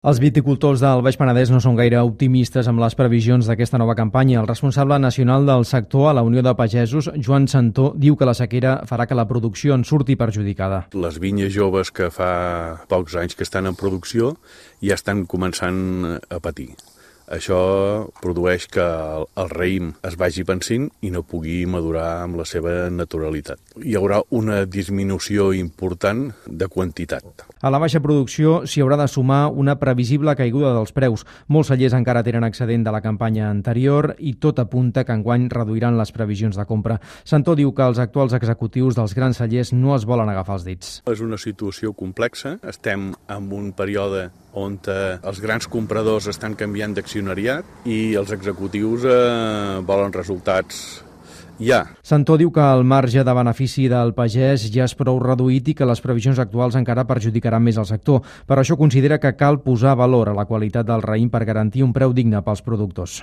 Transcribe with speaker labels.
Speaker 1: Els viticultors del Baix Penedès no són gaire optimistes amb les previsions d'aquesta nova campanya. El responsable nacional del sector a la Unió de Pagesos, Joan Santó, diu que la sequera farà que la producció en surti perjudicada.
Speaker 2: Les vinyes joves que fa pocs anys que estan en producció ja estan començant a patir. Això produeix que el raïm es vagi pansint i no pugui madurar amb la seva naturalitat. Hi haurà una disminució important de quantitat.
Speaker 1: A la baixa producció s'hi haurà de sumar una previsible caiguda dels preus. Molts cellers encara tenen excedent de la campanya anterior i tot apunta que enguany reduiran les previsions de compra. Santó diu que els actuals executius dels grans cellers no es volen agafar els dits.
Speaker 2: És una situació complexa. Estem en un període on els grans compradors estan canviant d'accionariat i els executius volen resultats ja.
Speaker 1: Santó diu que el marge de benefici del pagès ja és prou reduït i que les previsions actuals encara perjudicaran més el sector. Per això considera que cal posar valor a la qualitat del raïm per garantir un preu digne pels productors.